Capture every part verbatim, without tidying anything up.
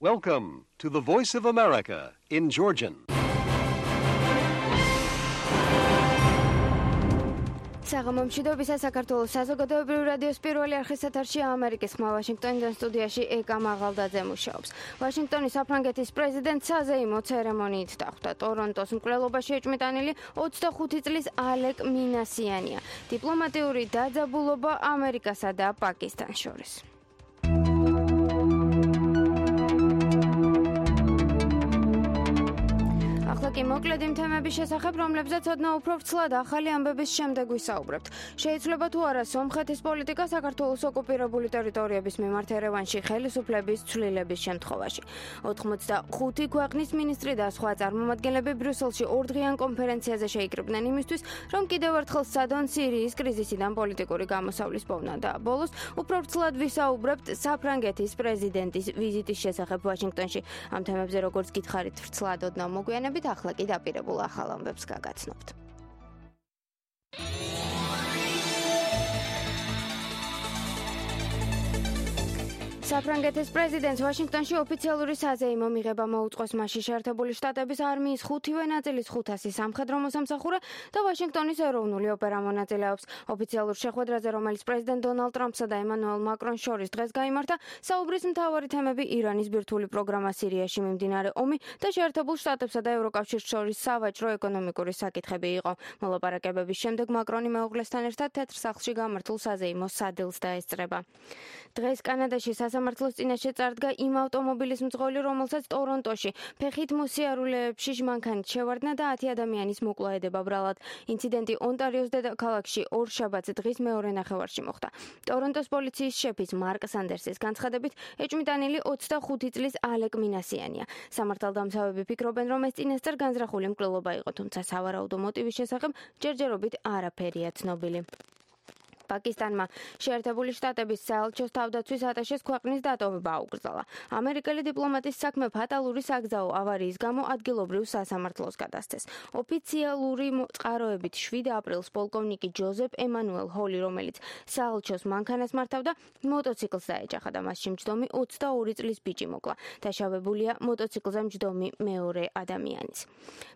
Welcome to the Voice of America in Georgian. საღამომშვიდობისა საქართველოს საზოგადოებრივი რადიოს პირველი არხის ეთერში ამერიკის ხმა ვაშინგტონიდან სტუდიაში ეკა მაღალდაძე მუშაობს. ვაშინგტონის საფრანგეთის პრეზიდენტ საზეიმო ცერემონიით დახვდა ტორონტოს მკვლელობაში ეჭვმიტანილი ოცდახუთი წლის ალეკ მინასიანია. დიპლომატიური დაძაბულობა ამერიკასა და პაკისტანს შორის. ახლა კი მოკლედ იმ თემების შესახებ, რომლებზეც ოდნავ უფრო ვრცლად ახალი ამბების შემდეგ ვისაუბრებთ. შეიძლება თუ არა სომხეთის პოლიტიკა საქართველოს ოკუპირებული ტერიტორიების მიმართ ერევანში ხელისუფლების ცვლილების შემთხვევაში. ოცდახუთი ქვეყნის მინისტრი და სხვა წარმომადგენლები ბრიუსელში ორდღიან კონფერენციაზე შეიკრიბნენ იმისთვის, რომ კიდევ ერთხელ სცადონ სირიის კრიზისიდან პოლიტიკური გამოსავლის პოვნა და ბოლოს უფრო ვრცლად ვისაუბრებთ საფრანგეთის პრეზიდენტის ვიზიტის შესახებ ვაშინგტონში. ამ თემებზე როგორც გითხარით ვრცლად ოდნავ მოგვიანებით ახლა კი დაპირებულ ახალ ამბებს გაგაცნობთ. საფრანგეთის პრეზიდენტს ვაშინგტონში ოფიციალური საზეიმო მიღება მოუწყოს მასში შეერთებული შტატების არმიის ხუთივე ნაწილის ხუთასი სამხედრო მოსამსახურე და ვაშინგტონის ეროვნული ოპერა მონაწილეობს. ოფიციალურ შეხვედრაზე, რომელიც პრეზიდენტ დონალდ ტრამპსა და ემანუელ მაკრონს შორის დღეს გაიმართა, საუბრის მთავარი თემები ირანის ბირთვული პროგრამა სირიაში, მიმდინარე ომი და შეერთებულ შტატებსა და ევროკავშირს შორის სავაჭრო-ეკონომიკური საკითხები იყო. მოლაპარაკებების შემდეგ მაკრონი მეუღლესთან ერთად თეთრ სახლში გამართულ საზეიმო სადილს დაესწრება. დღეს კანადაში სასამართლოს წინაშე წარდგა იმ ავტომობილის მძღოლი, რომელსაც ტორონტოში ფეხით მოსიარულეებში ჟმანქანით შევარდნა და ათი ადამიანის მოკვლაედება ბრალად. ინციდენტი ონტარიოს დედაქალაქში ორშაბათს დღის მეორე ნახევარში მოხდა. ტორონტოს პოლიციის შეფის მარკ სანდერსის განცხადებით, ეჭვმიტანილი ოცდახუთი წლის ალეკ მინასიანია. სამართალდამცავები ფიქრობენ, რომ ეს წინასწარ განზრახული მკვლელობა იყო, თუმცა სავარაუდო მოტივის შესახებ ჯერჯერობით არაფერია ცნობილი. პაკისტანმა შეერთებული შტატების საელჩოს თავდაცვის ატაშეს ქვეყნის დატოვება აუკრძალა. ამერიკელი დიპლომატის საქმე ფატალური საგზაო ავარიის გამო ადგილობრივ სასამართლოს გადასცეს. ოფიციალური წყაროებით შვიდ აპრილს პოლკოვნიკი ჯოზეფ ემანუელ ჰოლი, რომელიც საელჩოს მანქანას მართავდა, მოტოციკლს დაეჯახა და მასში მჯდომი ოცდაორი წლის ბიჭი მოკლა. დაშავებულია მოტოციკლზე მჯდომი მეორე ადამიანიც.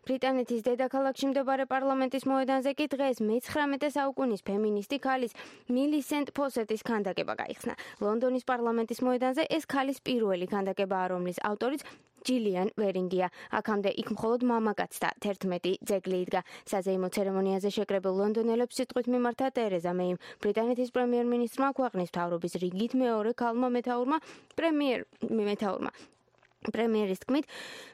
ბრიტანეთის დედაქალაქში მდებარე პარლამენტის მოედანზე კი დღეს მეცხრამეტე საუკუნის ფემინისტი ქალის მილისენტ ფოსეტის ქანდაკება გაიხსნა. ლონდონის პარლამენტის მოედანზე ეს ქალის პირველი ქანდაკებაა, რომლის ავტორიც ჯილიან ვერინგია. აქამდე იქ მხოლოდ მამაკაც და თერთმეტი ძეგლი იდგა. საზეიმო ცერემონიაზე შეკრებილ ლონდონელებს სიტყვით მიმართა ტერეზა მეიმ. ბრიტანეთის პრემიერ-მინისტრმა ქვეყნის მთავრობის რიგით მეორე ქალმა მეთაურმა პრემიერ მეთაურმა პრემიერის თქმით,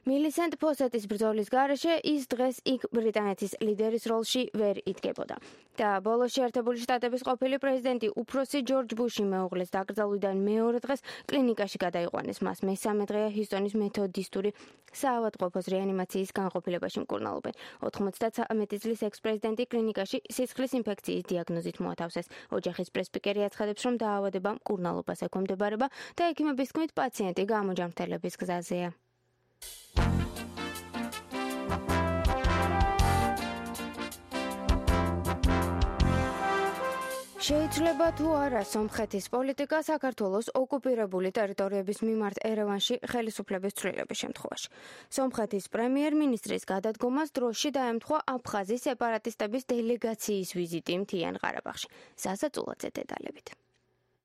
მილისენტ ფოსეტის ბრძოლის გარეშე ის დღეს იქ ბრიტანეთის ლიდერის როლში ვერ იდგებოდა. და ბოლოს შეერთებული შტატების ყოფილი პრეზიდენტი უფროსი ჯორჯ ბუში მეუღლეს დაკრძალვიდან მეორე დღეს კლინიკაში გადაიყვანეს. მას მესამე დღეა ჰიუსტონის მეთოდისტური საავადმყოფოს რეანიმაციის განყოფილებაში მკურნალობენ. ოთხმოცდათვრამეტი წლის ექს-პრეზიდენტი კლინიკაში სისხლის ინფექციის დიაგნოზით მოათავსეს. ოჯახის პრეს-სპიკერი აცხადებს, რომ დაავადება მკურნალობას ექვემდებარება და ექიმების თქმით პაციენტი გამოჯანმრთელების გზაზეა. შეიძლება თუ არა სომხეთის პოლიტიკა საქართველოს ოკუპირებული ტერიტორიების მიმართ ერევანში ხელისუფლების ცვლილების შემთხვევაში. სომხეთის პრემიერ-მინისტრის გადადგომას დროში დაემთხვა აფხაზი სეპარატისტების დელეგაციის ვიზიტი მთიან ყარაბაღში. ზაზა წულაძე დეტალებით.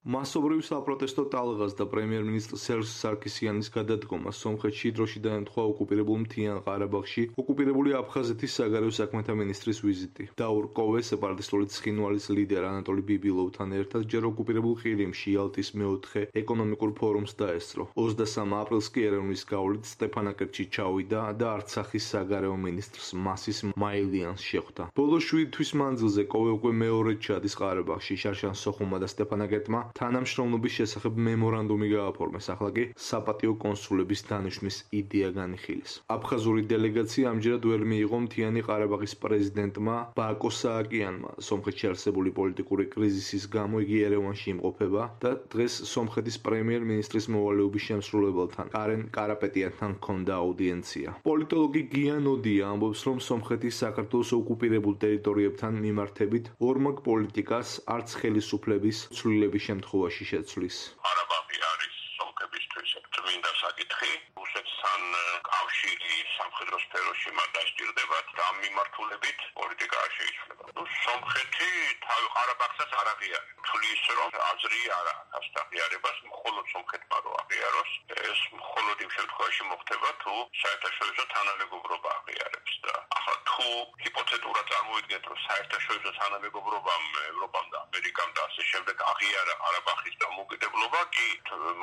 მასობრივ საპროტესტო ტალღას და პრემიერ-მინისტრ სერჟ სარკისიანის გადადგომას სომხეთში დროში დაემთხვა ოკუპირებულ მთიან ყარაბაღში ოკუპირებული აფხაზეთის საგარეო საქმეთა მინისტრის ვიზიტი. დაურყოვეს სეპარატისტული ცხინვალის ლიდერ ანატოლი ბიბილოვთან ერთად ჯერ ოკუპირებულ ყირიმში იალტის მეოთხე ეკონომიკურ ფორუმს დაესწრო. ოცდასამ აპრილს კი ერევნის გავლით სტეფანაკერტში ჩავიდა და არცახის საგარეო მინისტრს მასის მაილიანს შეხვდა. ბოლო შვიდი თვის მანძილზე კოვე უკვე მეორედ ჩადის ყარაბაღში. შარშან სოხუმმა და სტეფანაკერტმა თანამშრომლობის შესახებ მემორანდუმი გააფორმეს. ახლა კი საპატიო კონსულების დანიშვნის იდეა განიხილეს. აფხაზური დელეგაცია ამჯერად ვერ მიიღო მთიანი ყარაბაღის პრეზიდენტმა ბაკო სააკიანმა. სომხეთში არსებული პოლიტიკური კრიზისის გამო იგი ერევანში იმყოფება და დღეს სომხეთის პრემიერ-მინისტრის მოვალეობის შემსრულებელთან კარენ კარაპეტიანთან ჰქონდა აუდიენცია. პოლიტოლოგი გიან ოდია ამბობს, რომ სომხეთის საქართველოს ოკუპირებულ ტერიტორიებთან მიმართებით ორმაგ პოლიტიკას არც ხელისუფლების ცვლილების შემთხვევაში შეცვლის. ყარაბაღი არის სომხეთის შესაბამისად წმინდა საკითხი რუსეთთან კავშირი სამხედრო სფეროში მათ დასჭირდებათ და ამ მიმართულებით პოლიტიკა არ შეიცვლება. ნუ სომხეთი თავი ყარაბაღსაც არ აღიარებს. თulis რომ აზრი არა აქვს აღიარებას მხოლოდ სომხეთმა რო აღიაროს ეს მხოლოდ იმ შემთხვევაში მოხდება თუ საერთაშორისო თანამეგობრობა აღიარებს და ახლა თუ ჰიპოთეტურად წარმოვიდგენთ რომ საერთაშორისო თანამეგობრობამ ევროპამ და ამერიკამ და ასე შემდეგ აღიარა ყარაბაღის დამოუკიდებლობა კი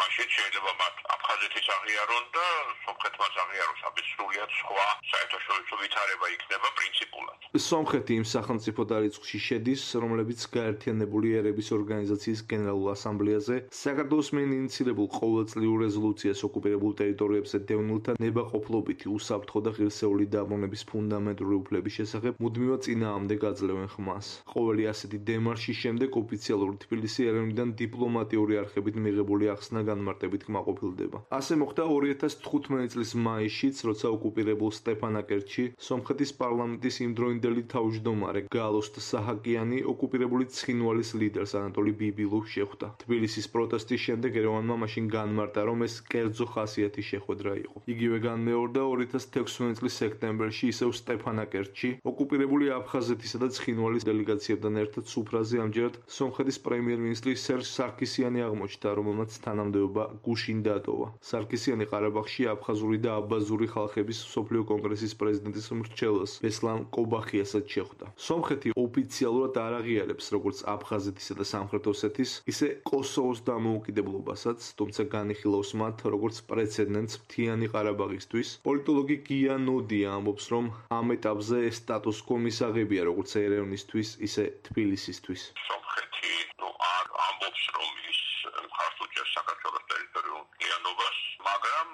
მაშინ შეიძლება მათ აფხაზეთის აღიარონ და სომხეთმაც აღიაროს ამის სრულიად სხვა საერთაშორისო ვითარება იქნება პრინციპულად. სომხეთი იმ სახელმწიფოთა რიცხვში შედის, რომლებიც გაერთიანებული ერების ორგანიზაციის გენერალურ ასამბლეაზე საქართველოს მიერ ინიციირებულ ყოველწლიურ რეზოლუციას ოკუპირებულ ტერიტორიებზე დევნილთა ნებაყოფლობითი უსაფრთხო და ღირსეული დაბრუნების ფუნდამენტური უფლების შესახებ მუდმივად წინააღმდეგ აძლევენ ხმას. ყოველი ასეთი დემარშის შემდეგ ოფიციალური თბილისი ერევნიდან დიპლომატიური არხებით მიღებული ახსნა განმარტებით კმაყოფილდება. ასე მოხდა ორი ათას თხუთმეტი წლის მაისშიც, როცა ოკუპირებულ სტეფანაკერტში სომხეთის პარლამენტის იმდროინდელი თავმჯდომარე გალოსტ საჰაკიანი ოკუპირებული ცხინვალის ლიდერს ანატოლი ბიბილოვს შეხვდა. თბილისის პროტესტის შემდეგ ერევანმა მაშინ განმარტა, რომ ეს კერძო ხასიათის შეხვედრა იყო. იგივე განმეორდა ორი ათას თექვსმეტი წლის სექტემბერში ისევ სტეფანაკერტში ოკუპირებული აფხაზეთისა და ცხინვალის დელეგაციებთან ერთად სუფრაზე ამჯერად სომხეთის პრემიერ-მინისტრი სერჟ სარქისიანი აღმოჩნდა, რომელმაც თანამდებობა გუშინ დატოვა. სარქისიანი ყარაბაღში აფხაზური და აბაზური ხალხების მსოფლიო კონგრესის პრეზიდენტის მრჩეველს ბესლან კობახიასაც შეხვდა. სომხეთი ოფიციალურად არ აღიარებს როგორც აფხაზეთისა და სამხრეთ ოსეთის, ისე კოსოვოს დამოუკიდებლობასაც, თუმცა განიხილავს მათ როგორც პრეცედენტს მთიანი ყარაბაღისთვის. პოლიტოლოგი გია ნოდია ამბობს, რომ ამ ეტაპზე სტატუს კო მისაღებია როგორც ერევნისთვის, ისე თბილისისთვის. სომხეთი ნუ არ ამბობს რომ ის მხარს უჭერს საქართველოს ტერიტორიულ მთლიანობას, მაგრამ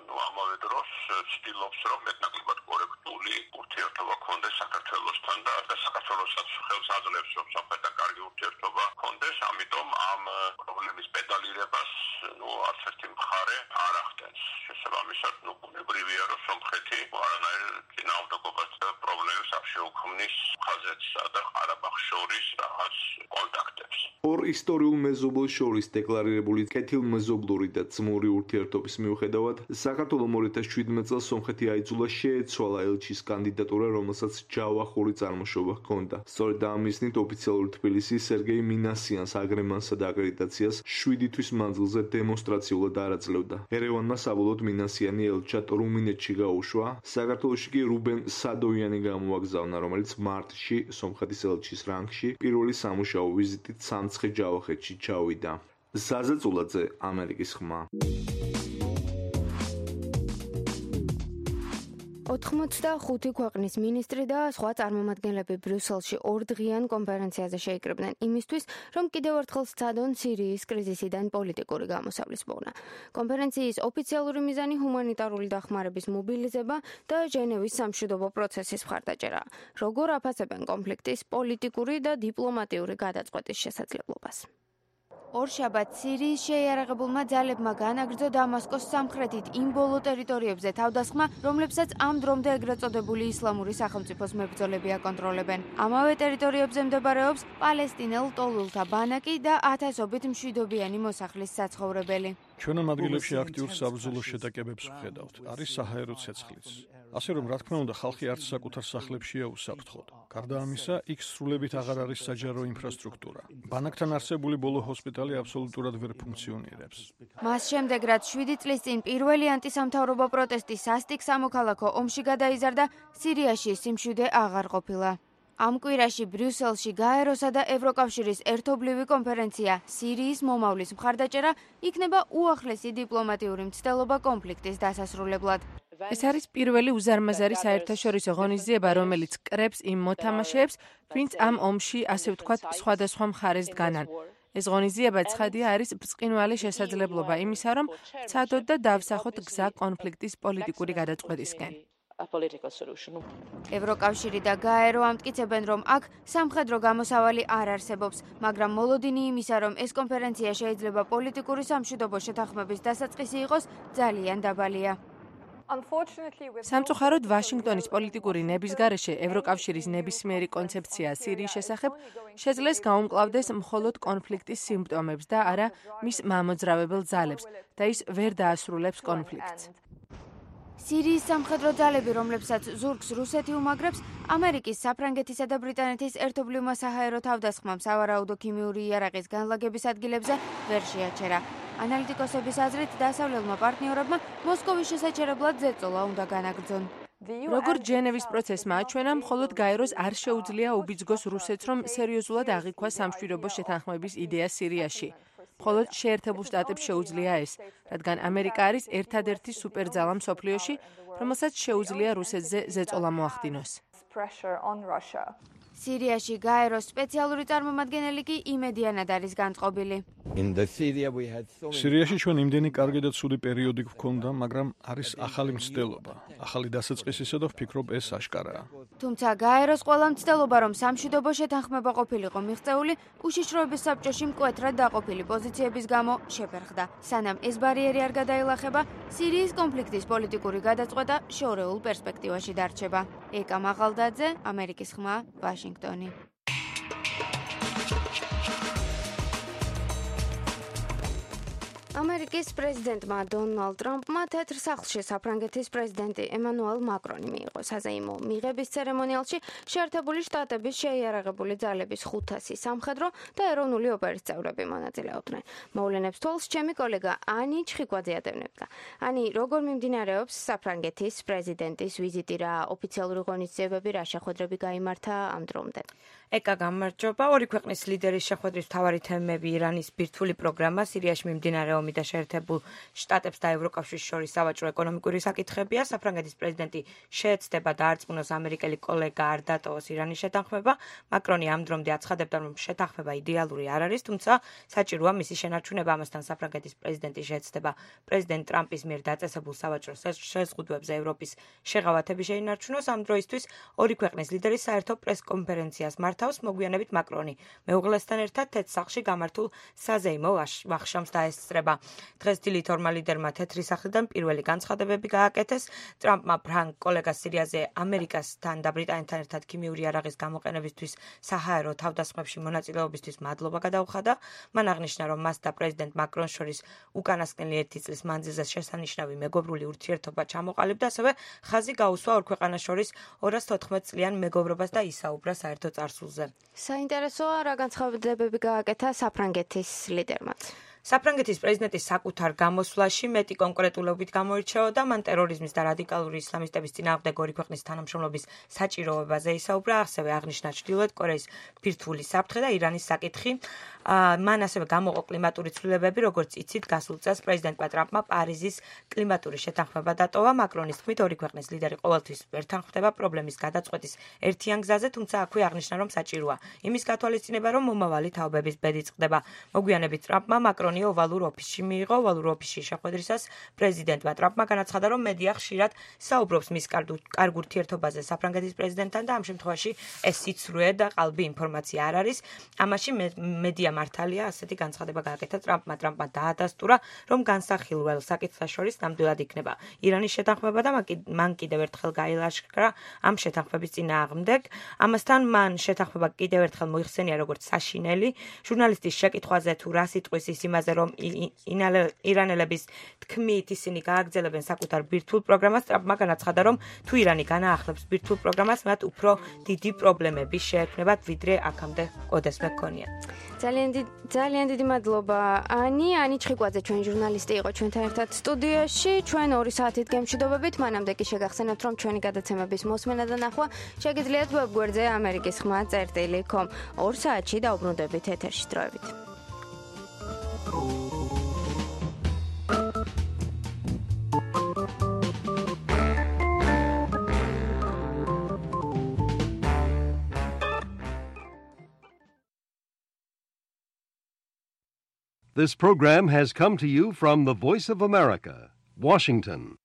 ნუ ამავე დროს ცდილობს რომ მეტნაკლებად კორექტული ურთიერთობა ქონდეს საქართველოსთან და საქართველოსაც ხელს აძლევს რომ სომხეთთან კარგი ურთიერთობა ქონდეს, ამიტომ ამ პრობლემის პედალირებას ნუ არც ერთი მხარე არ ახდენს. შესაბამისად, ნუ ბუნებრივია რომ სომხეთი არანაირ წინააღმდეგობას და პრობლემებს არ შეუქმნის ხაზეთსა და ყარაბაღს შორის რაღაც კონტაქტებს. ორ ისტორიულ მეზობელს შორის დეკლარირებული კეთილმეზობლური და ძმური ურთიერთობის მიუხედავად, საქართველომ ორი ათას შვიდმეტი წელს სომხეთი აიძულა შეეცვალა ელჩის კანდიდატურა, რომელსაც ჯავახური წარმოშობა ჰქონდა. სწორედ ამ მიზნით ოფიციალური თბილისი სერგეი მინასიანს აგრემანსა და აკრედიტაციას შვიდი თვის მანძილზე დემონსტრაციულად არ აძლევდა. ერევანმა საბოლოოდ მინასიანი ელჩად რუმინეთში გაუშვა, საქართველოში კი რუბენ სადოიანი გამოაგზავნა, რომელიც მარტში სომხეთის ელჩის რანგში პირველი სამუშაო ვიზიტით სამცხე ჯავახეთში ჩავიდა. ზაზა წულაძე, ამერიკის ხმა. ოთხმოცდახუთი ქვეყნის მინისტრი და სხვა წარმომადგენლები ბრიუსელში ორდღიან კონფერენციაზე შეიკრიბნენ იმისთვის, რომ კიდევ ერთხელ სცადონ სირიის კრიზისიდან პოლიტიკური გამოსავლის პოვნა. კონფერენციის ოფიციალური მიზანი ჰუმანიტარული დახმარების მობილიზება და ჟენევის სამშვიდობო პროცესის მხარდაჭერა. როგორ აფასებენ კონფლიქტის პოლიტიკური და დიპლომატიური გადაწყვეტის შესაძლებლობას? ორშაბათს სირიის შეიარაღებულმა ძალებმა განაგრძო დამასკოს სამხრეთით იმ ბოლო ტერიტორიებზე თავდასხმა, რომლებსაც ამ დრომდე ეგრეთ წოდებული ისლამური სახელმწიფოს მებრძოლები აკონტროლებენ. ამავე ტერიტორიებზე მდებარეობს პალესტინელ ლტოლვილთა ბანაკი და ათასობით მშვიდობიანი მოსახლის საცხოვრებელი. ჩვენ ამ ადგილებში აქტიურ საბრძოლო შეტაკებებს ვხედავთ. არის საჰაერო ცეცხლიც. ასე რომ, რა თქმა უნდა, ხალხი არც საკუთარ სახლებშია უსაფრთხოდ. გარდა ამისა, იქ სრულებით აღარ არის საჯარო ინფრასტრუქტურა. ბანაკთან არსებული ბოლო ჰოსპიტალი აბსოლუტურად ვერ ფუნქციონირებს. მას შემდეგ, რაც შვიდი წლის წინ პირველი ანტისამთავრობო პროტესტი სასტიკ სამოქალაქო ომში გადაიზარდა, სირიაში სიმშვიდე აღარ ყოფილა. ამ კვირაში ბრიუსელში გაეროსა და ევროკავშირის ერთობლივი კონფერენცია სირიის მომავლის მხარდაჭერა იქნება უახლესი დიპლომატიური მცდელობა კონფლიქტის დასასრულებლად. ეს არის პირველი უზარმაზარი საერთაშორისო ღონისძიება, რომელიც კრებს იმ მოთამაშეებს, ვინც ამ ომში, ასე ვთქვათ, სხვადასხვა მხარეს დგანან. ეს ღონისძიება ცხადია არის ბრწყინვალე შესაძლებლობა იმისა, რომ ვცადოთ და დავსახოთ გზა კონფლიქტის პოლიტიკური გადაწყვეტისკენ. ევროკავშირი და გაერო ამტკიცებენ, რომ აქ სამხედრო გამოსავალი არ არსებობს, მაგრამ მოლოდინი იმისა, რომ ეს კონფერენცია შეიძლება პოლიტიკური სამშვიდობო შეთანხმების დასაწყისი იყოს, ძალიან დაბალია. სამწუხაროდ ვაშინგტონის პოლიტიკური ნების გარეშე ევროკავშირის ნებისმიერი კონცეფცია სირიის შესახებ შეძლეს გაუმკლავდეს მხოლოდ კონფლიქტის სიმპტომებს და არა მის მამოძრავებელ ძალებს და ის ვერ დაასრულებს კონფლიქტს. სირიის სამხედრო ძალები, რომლებსაც ზურგს რუსეთი უმაგრებს, ამერიკის, საფრანგეთისა და ბრიტანეთის ერთობლივმა საჰაერო თავდასხმამ სავარაუდო ქიმიური იარაღის განლაგების ადგილებზე ვერ შეაჩერა. ანალიტიკოსების აზრით, დასავლელმა პარტნიორებმა მოსკოვის შესაჩერებლად ზეწოლა უნდა განაგრძონ. როგორც ჟენევის პროცესმა აჩვენა, მხოლოდ გაეროს არ შეუძლია უბიძგოს რუსეთს, რომ სერიოზულად აღიქვას სამშვიდობო შეთანხმების იდეა სირიაში. მხოლოდ შეერთებულ შტატებს შეუძლია ეს, რადგან ამერიკა არის ერთადერთი სუპერძალა მსოფლიოში, რომელსაც შეუძლია რუსეთზე ზეწოლა მოახდინოს. სირიაში გაეროს სპეციალური წარმომადგენელი კი იმედიანად არის განწყობილი. სირიაში ჩვენ იმდენი კარგი და ცუდი პერიოდი გვქონდა, მაგრამ არის ახალი მცდელობა, ახალი დასაწყისისა და ვფიქრობ ეს აშკარაა. თუმცა გაეროს ყველა მცდელობა, რომ სამშვიდობო შეთანხმება ყოფილიყო მიღწეული, უშიშროების საბჭოში მკვეთრად დაყოფილი პოზიციების გამო შეფერხდა. სანამ ეს ბარიერი არ გადაილახება, სირიის კონფლიქტის პოლიტიკური გადაწყვეტა შორეულ პერსპექტივაში დარჩება. ეკა მაღალდაძე, ამერიკის ხმა, ვაშინგტონი. ამერიკის პრეზიდენტმა დონალდ ტრამპმა თეთრ სახლში საფრანგეთის პრეზიდენტი ემანუელ მაკრონი მიიღო საზეიმო მიღების ცერემონიალში შეერთებული შტატების შეიარაღებული ძალების ხუთასი სამხედრო და ეროვნული ოპერის წევრები მონაწილეობდნენ. მოვლენებს თვალს ჩემი კოლეგა ანი ჩხიკვაძე ატევნებდა. ანი, როგორ მიმდინარეობს საფრანგეთის პრეზიდენტის ვიზიტი, რა ოფიციალური ღონისძიებები, რა შეხვედრები გაიმართა ამ დრომდე? ეკა გამარჯობა. ორი ქვეყნის ლიდერის შეხვედრის მთავარი თემები ირანის ბირთვული პროგრამა, სირიაში მიმდინარე ომი და შეერთებულ შტატებს და ევროკავშირის შორის სავაჭრო ეკონომიკური საკითხებია. საფრანგეთის პრეზიდენტი შეეცდება დაარწმუნოს ამერიკელი კოლეგა არ დატოვოს ირანის შეთანხმება. მაკრონი ამ დრომდე აცხადებდა, რომ შეთანხმება იდეალური არ არის, თუმცა საჭიროა მისი შენარჩუნება. ამასთან საფრანგეთის პრეზიდენტი შეეცდება პრეზიდენტ ტრამპის მიერ დაწესებულ სავაჭრო შეზღუდვებზე ევროპის შეღავათები შეინარჩუნოს. ამ დროისთვის ორი ქვეყნის ლიდერი საერთო პრესკონფერენციას მართავს. მოგვიანებით მაკრონი მეუღლესთან ერთად თეთრ სახლში გამართულ საზეიმო ვახშამს დაესწრება. დღეს დილით ორმა ლიდერმა თეთრი სახლიდან პირველი განცხადებები გააკეთეს. ტრამპმა ფრანგ კოლეგას სირიაზე ამერიკასთან და ბრიტანეთთან ერთად ქიმიური იარაღის გამოყენებისთვის საჰაერო თავდასხმებში მონაწილეობისთვის მადლობა გადაუხადა. მან აღნიშნა, რომ მას და პრეზიდენტ მაკრონს შორის უკანასკნელი ერთი წლის მანძილზე შესანიშნავი მეგობრული ურთიერთობა ჩამოყალიბდა, ასევე ხაზი გაუსვა ორ ქვეყანას შორის ორას თოთხმეტ წლიან მეგობრობას და ისაუბრა საერთო წარსულზე. საინტერესოა, რა განცხადებები გააკეთა საფრანგეთის ლიდერმაც. საფრანგეთის პრეზიდენტის საკუთარ გამოსვლაში მეტი კონკრეტულობით გამოირჩეოდა. მან ტერორიზმის და რადიკალური ისლამისტების წინააღმდეგ ორი ქვეყნის თანამშრომლობის საჭიროებაზე ისაუბრა, ასევე აღნიშნა ჩრდილოეთ კორეის ბირთვული საფრთხე და ირანის საკითხი. მან ასევე გამოყო კლიმატური ცვლილებები, როგორც იცით, გასულ წელს პრეზიდენტმა ტრამპმა პარიზის კლიმატური შეთანხმება დატოვა. მაკრონის თქმით, ორი ქვეყნის ლიდერი ყოველთვის ერთთან ხვდება პრობლემის გადაწყვეტის ერთიან გზაზე, თუმცა აქვე აღნიშნა, რომ საჭიროა იმის გათვალისწინება, რომ მომავალი თაობების ბედი წყდება. მოგვიანებით ტრამპმა მაკრონი ოვალურ ოფისში მიიღო. ოვალურ ოფისში შეხვედრისას პრეზიდენტმა ტრამპმა განაცხადა, რომ მედია ხშირად საუბრობს მის კარგ ურთიერთობაზე საფრანგეთის პრეზიდენტთან და ამ შემთხვევაში ეს სიცრუე და ყალბი ინფორმაცია არ არის. ამაში მედია მართალია, ასეთი განცხადება გააკეთა ტრამპმა. ტრამპმა დაადასტურა, რომ განსახილველ საკითხთა შორის ნამდვილად იქნება ირანის შეთანხმება და მან კიდევ ერთხელ გაილაშქრა ამ შეთანხმების წინააღმდეგ. ამასთან მან შეთანხმება კიდევ ერთხელ მოიხსენია როგორც საშინელი. ჟურნალისტის შეკითხვაზე თუ რა სიტყვის ის იმაზე, რომ ირანელების თქმით ისინი გააგრძელებენ საკუთარ ბირთვულ პროგრამას, ტრამპმა განაცხადა, რომ თუ ირანი განაახლებს ბირთვულ პროგრამას, მათ უფრო დიდი პრობლემები შეექმნებათ, ვიდრე აქამდე კოდესმე ჰქონია. ძალიან ძალიან დიდი მადლობა ანი. ანი ჩხიკვაძე ჩვენ ჟურნალისტი იყო ჩვენთან ერთად სტუდიაში. ჩვენ ორი საათით გემშვიდობებით. მანამდე კი შეგახსენებთ, რომ ჩვენი გადაცემების მოსმენა და ნახვა შეგიძლიათ ვებგვერდზე ამერიკის ხმა წერტილი 닷 კომ. ორ საათში დაუბრუნდებით ეთერში დროებით. This program has come to you from the Voice of America, Washington.